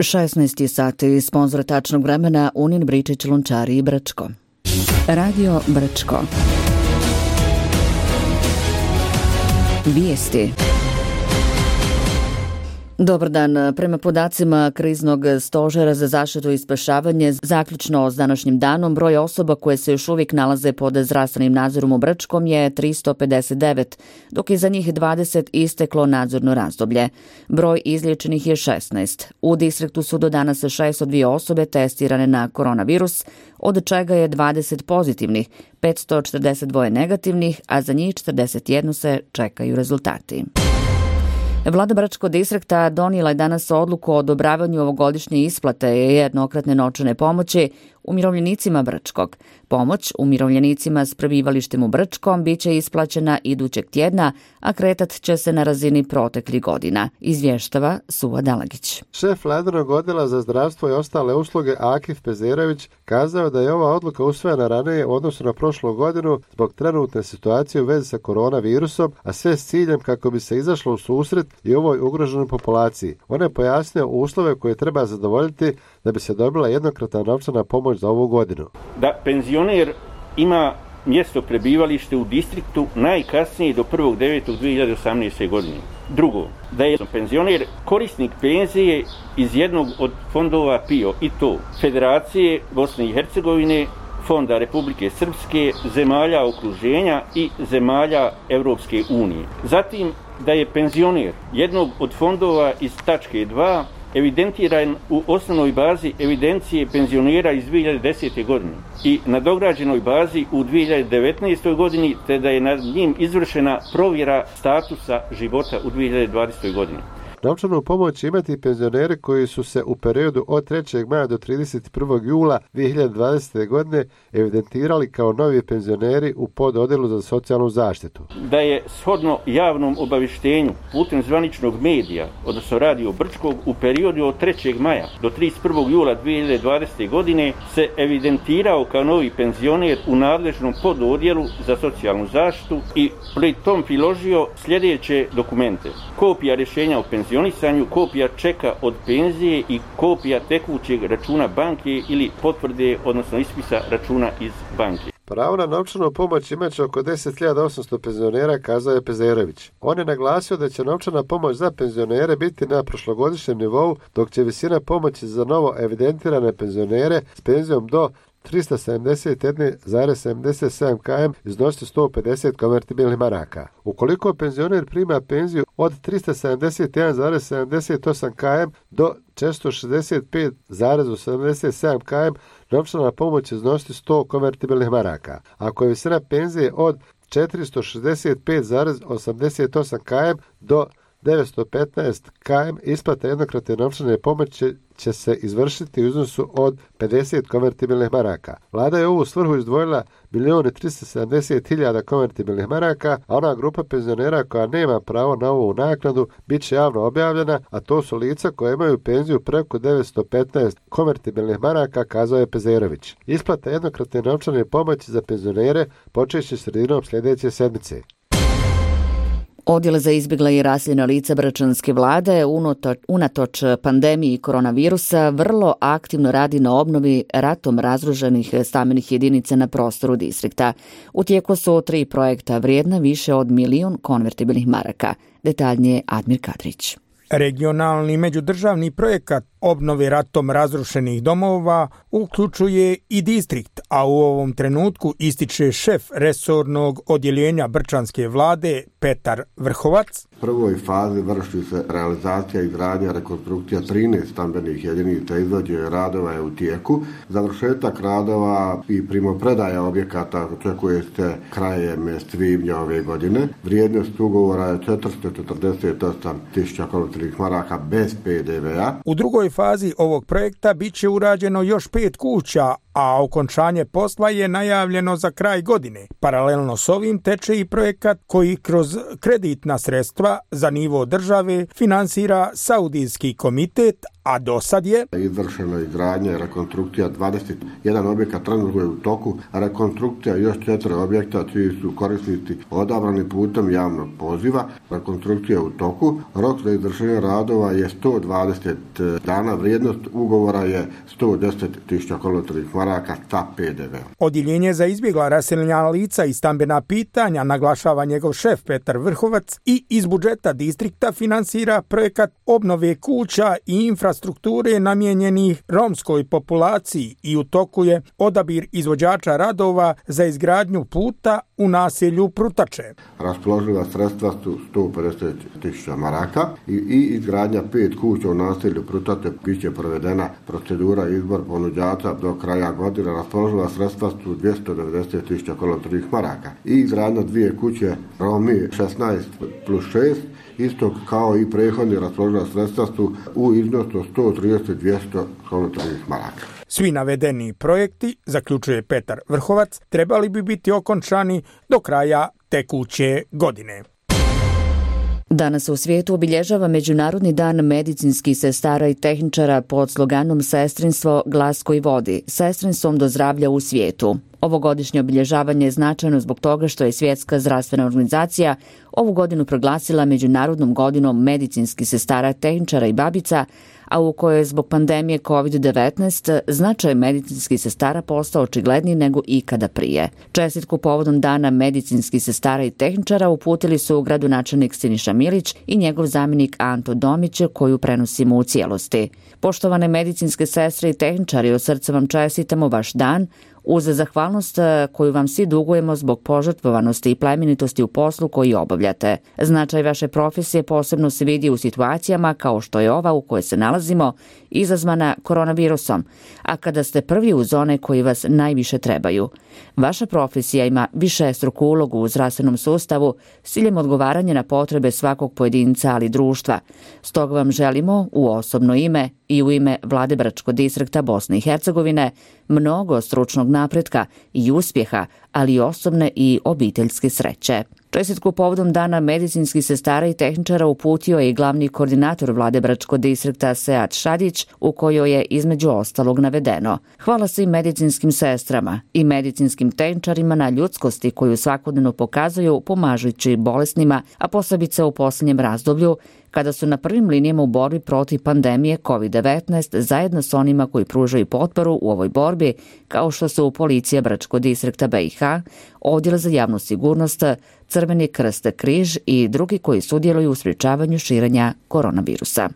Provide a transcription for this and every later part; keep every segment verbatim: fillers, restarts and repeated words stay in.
šesnaest sati, sponzor tačnog vremena Unin Bričić Lončari i Brčko. Radio Brčko. Vijesti. Dobar dan. Prema podacima Kriznog stožera za zaštitu i spašavanje, zaključno s današnjim danom, broj osoba koje se još uvijek nalaze pod zdravstvenim nadzorom u Brčkom je tristo pedeset devet, dok je za njih dvadeset isteklo nadzorno razdoblje. Broj izliječenih je šesnaest. U distriktu su do danas šesto dvije osobe testirane na koronavirus, od čega je dvadeset pozitivnih, petsto četrdeset dva negativnih, a za njih četrdeset jedan se čekaju rezultati. Vlada Bračkog distrikta donijela je danas odluku o odobravanju ovogodišnje isplate jednokratne novčane pomoći umirovljenicima Brčkog. Pomoć umirovljenicima s prebivalištem u Brčkom bit će isplaćena idućeg tjedna, a kretat će se na razini proteklih godina, izvještava Suva Dalagić. Šef Vladinog odjela za zdravstvo i ostale usluge Akif Pezerović kazao da je ova odluka usvojena ranije u odnosu na prošlu godinu zbog trenutne situacije u vezi sa koronavirusom, a sve s ciljem kako bi se izašlo u susret i ovoj ugroženoj populaciji. On je pojasnio uslove koje treba zadovoljiti da bi se dobila jednokratna novčana pomoć za ovu godinu. Da penzioner ima mjesto prebivalište u distriktu najkasnije do prvog devetog dvije hiljade osamnaeste. godine. Drugo, da je penzioner korisnik penzije iz jednog od fondova P I O, i to Federacije Bosne i Hercegovine, Fonda Republike Srpske, zemalja okruženja i zemalja Europske unije. Zatim, da je penzioner jednog od fondova iz tačke dva evidentiran u osnovnoj bazi evidencije penzionera iz dvije hiljade desete. godine i nadograđenoj bazi u dvije hiljade devetnaestoj. godini, te da je nad njim izvršena provjera statusa života u dvije hiljade dvadesetoj. godini. Novčanu pomoć imati penzioneri koji su se u periodu od trećeg maja do trideset prvog jula dvije hiljade dvadesete. godine evidentirali kao novi penzioneri u pododjelu za socijalnu zaštitu. Da je shodno javnom obavještenju putem zvaničnog medija, odnosno Radio Brčkog, u periodu od trećeg maja do trideset prvog jula dvije hiljade dvadesete. godine se evidentirao kao novi penzioner u nadležnom pododjelu za socijalnu zaštitu i pri tom priložio sljedeće dokumente: kopija rješenja o penzionisanju, kopija čeka od penzije i kopija tekućeg računa banke ili potvrde, odnosno ispisa računa iz banke. Pravo na novčanu pomoć imaće oko deset hiljada osamsto penzionera, kazao je Pezerović. On je naglasio da će novčana pomoć za penzionere biti na prošlogodišnjem nivou, dok će visina pomoći za novo evidentirane penzionere s penzijom do tristo sedamdeset jedan zarez sedamdeset sedam km iznosi sto pedeset konvertibilnih maraka. Ukoliko penzioner prima penziju od tristo sedamdeset jedan zarez sedamdeset osam km do četiristo šezdeset pet zarez sedamdeset sedam km, novčana pomoć iznosi sto konvertibilnih maraka. Ako je visina penzije od četiristo šezdeset pet zarez osamdeset osam km do devetsto petnaest km, isplata jednokratne novčane pomoći će se izvršiti u iznosu od pedeset konvertibilnih maraka. Vlada je u ovu svrhu izdvojila milijun tristo sedamdeset hiljada konvertibilnih maraka, a ona grupa penzionera koja nema pravo na ovu naknadu bit će javno objavljena, a to su lica koje imaju penziju preko devetsto petnaest konvertibilnih maraka, kazao je Pezerović. Isplata jednokratne novčane pomoći za penzionere počeće sredinom sljedeće sedmice. Odjel za izbjegla i raseljena lica bračanske vlade unatoč pandemiji koronavirusa vrlo aktivno radi na obnovi ratom razrušenih stambenih jedinica na prostoru distrikta. U tijeku su tri projekta vrijedna više od milijun konvertibilnih maraka. Detaljnije Admir Kadrić. Regionalni međudržavni projekat obnove ratom razrušenih domova uključuje i distrikt, a u ovom trenutku ističe šef resornog odjeljenja brčanske vlade Petar Vrhovac. U prvoj fazi vrši se realizacija izgradnja rekonstrukcija trinaest stambenih jedinica, izvođenje radova je u tijeku. Završetak radova i primopredaja objekata očekuje se krajem svibnja ove godine. Vrijednost ugovora je četiristo četrdeset osam tisuća konvertibilnih maraka bez pe de ve a. U drugoj fazi ovog projekta bit će urađeno još pet kuća, a okončanje posla je najavljeno za kraj godine. Paralelno s ovim teče i projekat koji kroz kreditna sredstva projekta za nivo države finansira Saudijski komitet, a do sad je izvršeno izgradnja i rekonstrukcija dvadeset jedan objekat, trenutno je u toku rekonstrukcija još četiri objekta čiji su korisnici odabrani putem javnog poziva. Rekonstrukcija je u toku. Rok za izvršenje radova je sto dvadeset dana, vrijednost ugovora je sto deset tisuća kolotnih maraka sa P D V-om. Odjeljenje za izbjegla raseljena lica i stambena pitanja, naglašava njegov šef Petar Vrhovac, i iz budžeta distrikta finansira projekat obnove kuća i infrastrukture namijenjenih romskoj populaciji i u toku je odabir izvođača radova za izgradnju puta u naselju Prutače. Raspoloživa sredstva su sto pedeset tisuća maraka i, i izgradnja pet kuća u naselju Prutače biće provedena procedura izbor ponuđača do kraja godine. Raspoloživa sredstva su dvjesto devedeset tisuća kolotnih maraka i izgradnja dvije kuće Romi šesnaest plus šest, isto kao i prethodni raspoloživa sredstva su u iznosu od sto trideset do dvjesto kolotnih maraka. Svi navedeni projekti, zaključuje Petar Vrhovac, trebali bi biti okončani do kraja tekuće godine. Danas u svijetu obilježava Međunarodni dan medicinskih sestara i tehničara pod sloganom Sestrinstvo, glas koji vodi, sestrinstvom do zdravlja u svijetu. Ovogodišnje obilježavanje je značajno zbog toga što je Svjetska zdravstvena organizacija ovu godinu proglasila Međunarodnom godinom medicinskih sestara, tehničara i babica, a u kojoj je zbog pandemije kovid devetnaest značaj medicinskih sestara postao očigledniji nego ikada prije. Čestitku povodom dana medicinskih sestara i tehničara uputili su gradonačelnik Siniša Milić i njegov zamjenik Anto Domić, koju prenosimo u cijelosti. Poštovane medicinske sestre i tehničari, od srca vam čestitamo vaš dan, uz zahvalnost koju vam svi dugujemo zbog požrtvovanosti i plemenitosti u poslu koji obavljate. Značaj vaše profesije posebno se vidi u situacijama kao što je ova u kojoj se nalazimo, izazvana koronavirusom, a kada ste prvi uz one koji vas najviše trebaju. Vaša profesija ima višestruku ulogu u zdravstvenom sustavu s ciljem odgovaranja na potrebe svakog pojedinca, ali društva. Stoga vam želimo u osobno ime i u ime Vlade Bračkog distrikta Bosne i Hercegovine mnogo stručnog napretka i uspjeha, ali i osobne i obiteljske sreće. Čestitku povodom dana medicinskih sestara i tehničara uputio je i glavni koordinator Vlade Bračkog distrikta Sead Šadić, u kojoj je između ostalog navedeno: hvala svim medicinskim sestrama i medicinskim tehničarima na ljudskosti koju svakodnevno pokazuju pomažući bolesnima, a posebice u posljednjem razdoblju kada su na prvim linijama u borbi protiv pandemije kovid devetnaest zajedno s onima koji pružaju potporu u ovoj borbi, kao što su Policija Bračkog distrikta B i H, Odjel za javnu sigurnost, Crveni krst, Križ i drugi koji sudjeluju u sprječavanju širenja koronavirusa.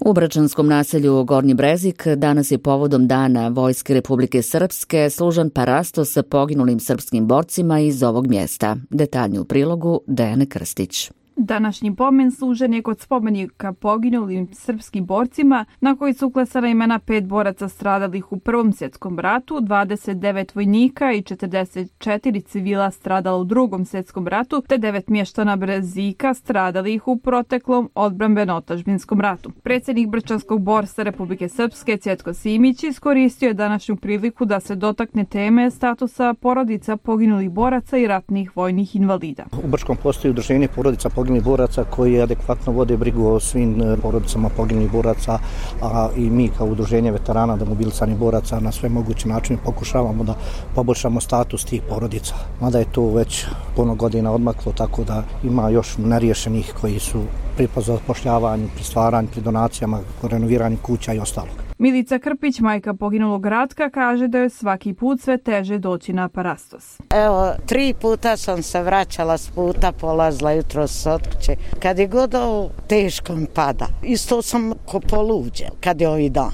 U bračanskom naselju Gornji Brezik danas je povodom Dana Vojske Republike Srpske služan parastos sa poginulim srpskim borcima iz ovog mjesta. Detaljni u prilogu Dejane Krstić. Današnji pomen služen je kod spomenika poginulim srpskim borcima, na koji su uklesana imena pet boraca stradalih u Prvom svjetskom ratu, dvadeset devet vojnika i četrdeset četiri civila stradala u Drugom svjetskom ratu, te devet mještana Brezika stradalih u proteklom odbrambeno-otadžbinskom ratu. Predsjednik Brčanskog borstva Republike Srpske Cvjetko Simić iskoristio je današnju priliku da se dotakne teme statusa porodica poginulih boraca i ratnih vojnih invalida. U Brčkom postoji udruženje porodica poginulih boraca koji adekvatno vode brigu o svim porodicama poginulih boraca, a i mi kao udruženje veterana demobilisanih boraca na sve moguće načine pokušavamo da poboljšamo status tih porodica. Mada je to već puno godina odmaklo, tako da ima još neriješenih koji su pri zapošljavanju, pri stvaranju, pri donacijama, renoviranju kuća i ostalog. Milica Krpić, majka poginulog Ratka, kaže da je svaki put sve teže doći na parastos. Evo, tri puta sam se vraćala s puta, polazila jutro s otkuće. Kad je god ovo teško mi pada, isto sam ko poluđe kad je ovaj dan.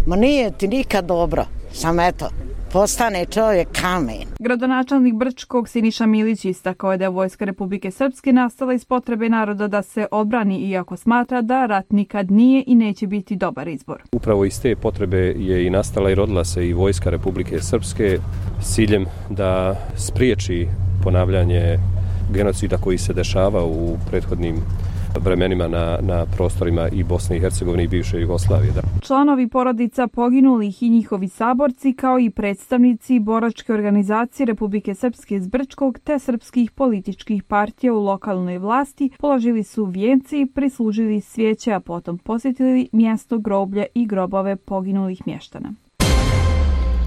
Ma nije ti nikad dobro, sam eto, postane čovjek kamen. Gradonačelnik Brčkog Siniša Milić istakao je da je Vojska Republike Srpske nastala iz potrebe naroda da se odbrani, iako smatra da rat nikad nije i neće biti dobar izbor. Upravo iz te potrebe je i nastala i rodila se i Vojska Republike Srpske s ciljem da spriječi ponavljanje genocida koji se dešava u prethodnim vremenima na, na prostorima i Bosne i Hercegovine i bivše Jugoslavije. Da. Članovi porodica poginulih i njihovi saborci, kao i predstavnici boračke organizacije Republike Srpske iz Brčkog te srpskih političkih partija u lokalnoj vlasti, položili su vijenci, prislužili svijeće, a potom posjetili mjesto groblja i grobove poginulih mještana.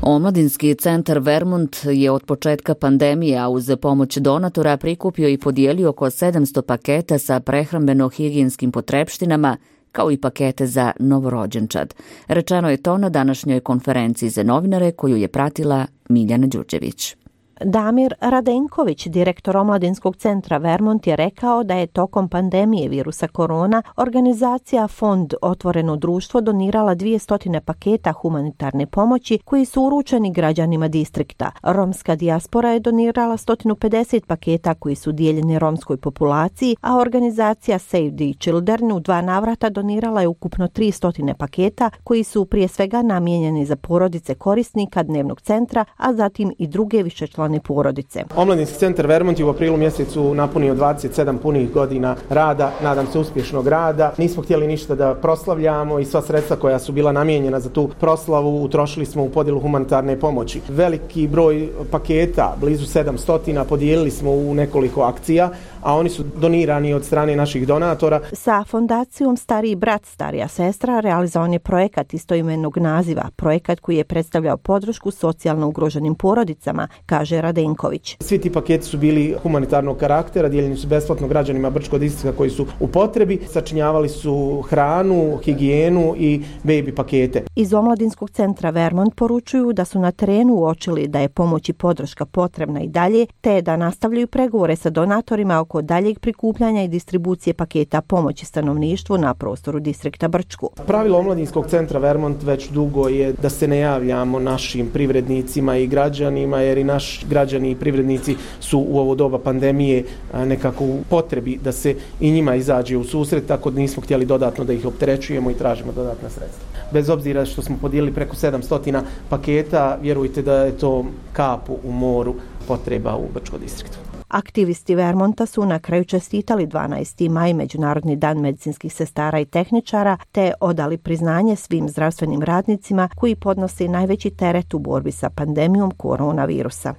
Omladinski centar Vermont je od početka pandemije, a uz pomoć donatora prikupio i podijelio oko sedamsto paketa sa prehrambeno-higijenskim potrepštinama, kao i pakete za novorođenčad. Rečeno je to na današnjoj konferenciji za novinare koju je pratila Miljana Đurđević. Damir Radenković, direktor Omladinskog centra Vermont, je rekao da je tokom pandemije virusa korona organizacija Fond Otvoreno društvo donirala dvjesto paketa humanitarne pomoći koji su uručeni građanima distrikta. Romska dijaspora je donirala sto pedeset paketa koji su dijeljeni romskoj populaciji, a organizacija Save the Children u dva navrata donirala je ukupno tristo paketa koji su prije svega namijenjeni za porodice korisnika dnevnog centra, a zatim i druge višečlane porodice. Omladinski centar Vermont je u aprilu mjesecu napunio dvadeset sedam punih godina rada, nadam se uspješnog rada. Nismo htjeli ništa da proslavljamo i sva sredstva koja su bila namijenjena za tu proslavu utrošili smo u podjelu humanitarne pomoći. Veliki broj paketa, blizu sedamsto, podijelili smo u nekoliko akcija, a oni su donirani od strane naših donatora. Sa fondacijom Stariji brat, starija sestra realizovan je projekat istoimenog naziva, projekat koji je predstavljao podršku socijalno ugroženim porodicama, kaže Radenković. Svi ti paketi su bili humanitarnog karaktera, dijeljeni su besplatno građanima Brčkog distrikta koji su u potrebi, sačinjavali su hranu, higijenu i baby pakete. Iz Omladinskog centra Vermont poručuju da su na terenu uočili da je pomoć i podrška potrebna i dalje, te da nastavljaju pregovore sa donatorima oko daljeg prikupljanja i distribucije paketa pomoći stanovništvu na prostoru distrikta Brčko. Pravilo Omladinskog centra Vermont već dugo je da se ne javljamo našim privrednicima i građanima, jer i naši građani i privrednici su u ovo doba pandemije nekako u potrebi da se i njima izađe u susret, tako da nismo htjeli dodatno da ih opterećujemo i tražimo dodatna sredstva. Bez obzira što smo podijelili preko sedamsto paketa, vjerujte da je to kapu u moru potreba u Brčkom distriktu. Aktivisti Vermonta su na kraju čestitali dvanaesti maj, Međunarodni dan medicinskih sestara i tehničara, te odali priznanje svim zdravstvenim radnicima koji podnose najveći teret u borbi sa pandemijom koronavirusa.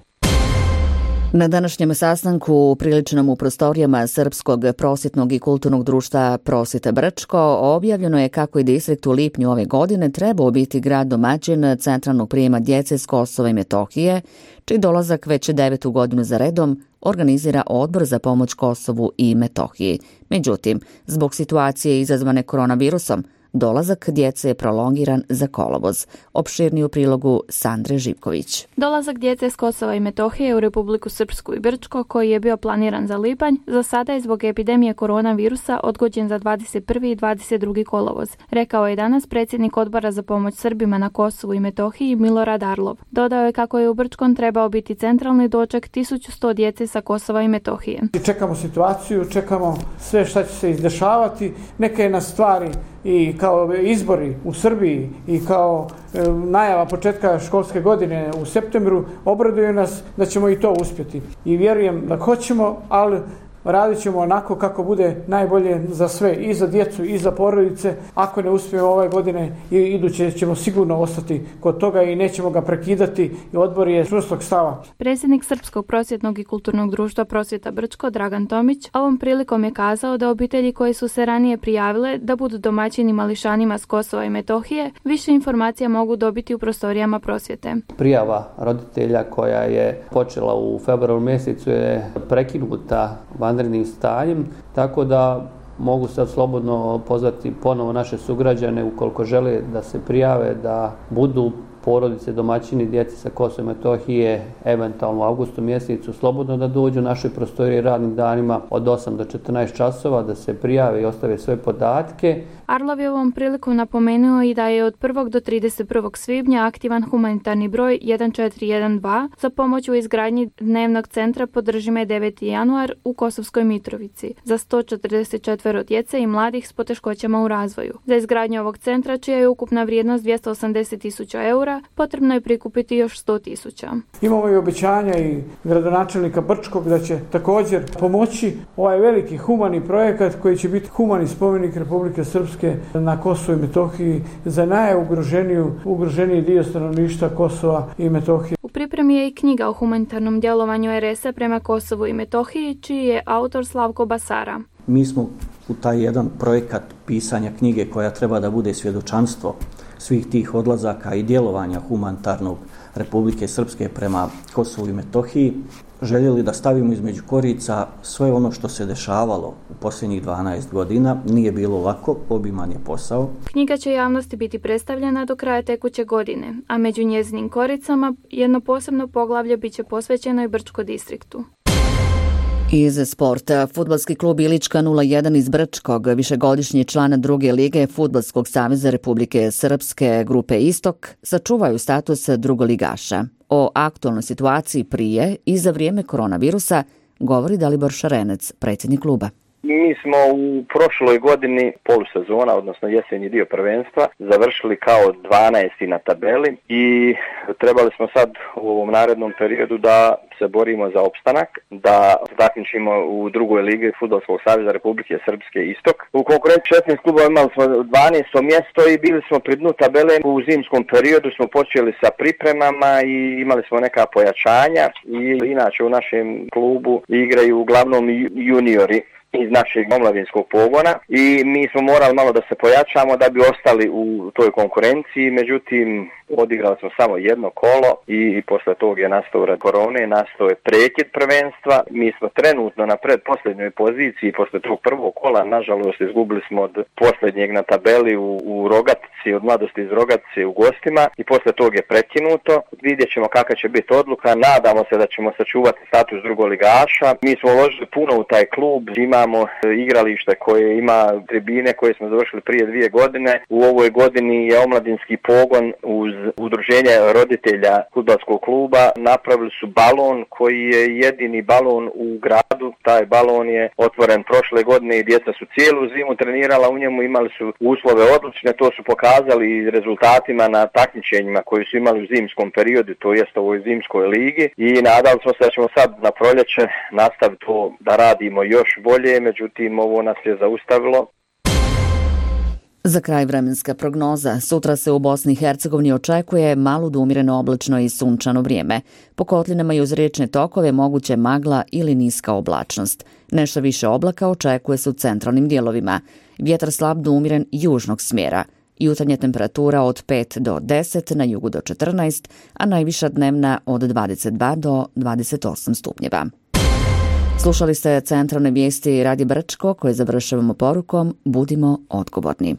Na današnjem sastanku priličnom u prostorijama Srpskog prosvjetnog i kulturnog društva Prosvjeta Brčko objavljeno je kako je distrikt u lipnju ove godine trebao biti grad domaćin centralnog prijema djece s Kosova i Metohije, čiji dolazak već devetu godinu za redom organizira Odbor za pomoć Kosovu i Metohiji. Međutim, zbog situacije izazvane koronavirusom, dolazak djece je prolongiran za kolovoz. Opširniji u prilogu Sandre Živković. Dolazak djece s Kosova i Metohije u Republiku Srpsku i Brčko, koji je bio planiran za lipanj, za sada je zbog epidemije koronavirusa odgođen za dvadeset prvi i dvadeset drugi kolovoz, rekao je danas predsjednik Odbora za pomoć Srbima na Kosovu i Metohiji Milorad Arlov. Dodao je kako je u Brčkom trebao biti centralni doček tisuću sto djece sa Kosova i Metohije. Čekamo situaciju, čekamo sve šta će se izdešavati, neke nas stvari i kao izbori u Srbiji i kao e, najava početka školske godine u septembru obraduju nas da ćemo i to uspjeti. I vjerujem da hoćemo, ali radit ćemo onako kako bude najbolje za sve, i za djecu i za porodice. Ako ne uspijemo ove godine i iduće ćemo sigurno ostati kod toga i nećemo ga prekidati i odbor je čvrstog stava. Predsjednik Srpskog prosvjetnog i kulturnog društva Prosvjeta Brčko Dragan Tomić ovom prilikom je kazao da obitelji koje su se ranije prijavile da budu domaćini mališanima s Kosova i Metohije više informacija mogu dobiti u prostorijama prosvjete. Prijava roditelja koja je počela u februaru mjesecu je prekinuta vanrednim stanjem, tako da mogu sad slobodno pozvati ponovo naše sugrađane ukoliko žele da se prijave, da budu porodice, domaćini, djece sa Kosova i Metohije, eventualno u avgustu mjesecu, slobodno da dođu u našoj prostoriji radnim danima od osam do četrnaest časova, da se prijave i ostave svoje podatke. Arlov je ovom prilikom napomenuo i da je od prvog do trideset prvog svibnja aktivan humanitarni broj jedan četiri jedan dva za pomoć u izgradnji dnevnog centra Podržime deveti januar u Kosovskoj Mitrovici za sto četrdeset četiri djece i mladih s poteškoćama u razvoju. Za izgradnju ovog centra, čija je ukupna vrijednost dvjesto osamdeset tisuća eura, eura, potrebno je prikupiti još sto tisuća. Imamo i obećanja i gradonačelnika Brčkog da će također pomoći ovaj veliki humani projekat koji će biti humani spomenik Republike Srpske na Kosovu i Metohiji za najugroženiju ugroženiji dio stanovništva Kosova i Metohije. U pripremi je i knjiga o humanitarnom djelovanju er es a prema Kosovu i Metohiji, čiji je autor Slavko Basara. Mi smo u taj jedan projekat pisanja knjige koja treba da bude svjedočanstvo svih tih odlazaka i djelovanja humanitarnog Republike Srpske prema Kosovu i Metohiji željeli da stavimo između korica sve ono što se dešavalo u posljednjih dvanaest godina. Nije bilo lako, obiman je posao. Knjiga će javnosti biti predstavljena do kraja tekuće godine, a među njezinim koricama jedno posebno poglavlje bit će posvećeno i Brčko distriktu. Iz sporta, fudbalski klub Ilička nula jedan iz Brčkog, višegodišnji član druge lige Fudbalskog saveza Republike Srpske grupe Istok, sačuvaju status drugoligaša. O aktualnoj situaciji prije i za vrijeme koronavirusa govori Dalibor Šarenec, predsjednik kluba. Mi smo u prošloj godini polusezona, odnosno jesenji dio prvenstva, završili kao dvanaesti na tabeli i trebali smo sad u ovom narednom periodu da se borimo za opstanak, da takmičimo u drugoj ligi Fudbalskog saveza Republike Srpske Istok. U konkurenciji šesnaest klubova imali smo dvanaesto mjesto i bili smo pri dnu tabele. U zimskom periodu smo počeli sa pripremama i imali smo neka pojačanja i inače u našem klubu igraju uglavnom juniori iz našeg omladinskog pogona i mi smo morali malo da se pojačamo da bi ostali u toj konkurenciji, međutim odigrali smo samo jedno kolo i, i posle tog je nastao rad korone, nastao je prekid prvenstva. Mi smo trenutno na predposljednjoj poziciji, posle tog prvog kola, nažalost izgubili smo od posljednjeg na tabeli u, u Rogatici, od Mladosti iz Rogatice u gostima i posle tog je prekinuto. Vidjet ćemo kakva će biti odluka, nadamo se da ćemo sačuvati status drugoligaša. Mi smo uložili puno u taj klub, imamo igralište koje ima tribine koje smo završili prije dvije godine. U ovoj godini je omladinski pogon uz udruženje roditelja fudbalskog kluba napravili su balon koji je jedini balon u gradu. Taj balon je otvoren prošle godine i djeca su cijelu zimu trenirala u njemu, imali su uslove odlične, to su pokazali i rezultatima na takmičenjima koji su imali u zimskom periodu, to jest ovoj zimskoj ligi i nadali smo se da ćemo sad na proljeće nastaviti to da radimo još bolje, međutim ovo nas je zaustavilo. Za kraj vremenska prognoza. Sutra se u Bosni i Hercegovini očekuje malo do umjereno oblačno i sunčano vrijeme. Po kotlinama i uz riječne tokove moguće magla ili niska oblačnost. Nešto više oblaka očekuje se u centralnim dijelovima. Vjetar slab do umjeren južnog smjera. Jutarnja temperatura od pet do deset, na jugu do četrnaest, a najviša dnevna od dvadeset dva do dvadeset osam stupnjeva. Slušali ste centralne vijesti Radija Brčko koje završavamo porukom Budimo odgovorni.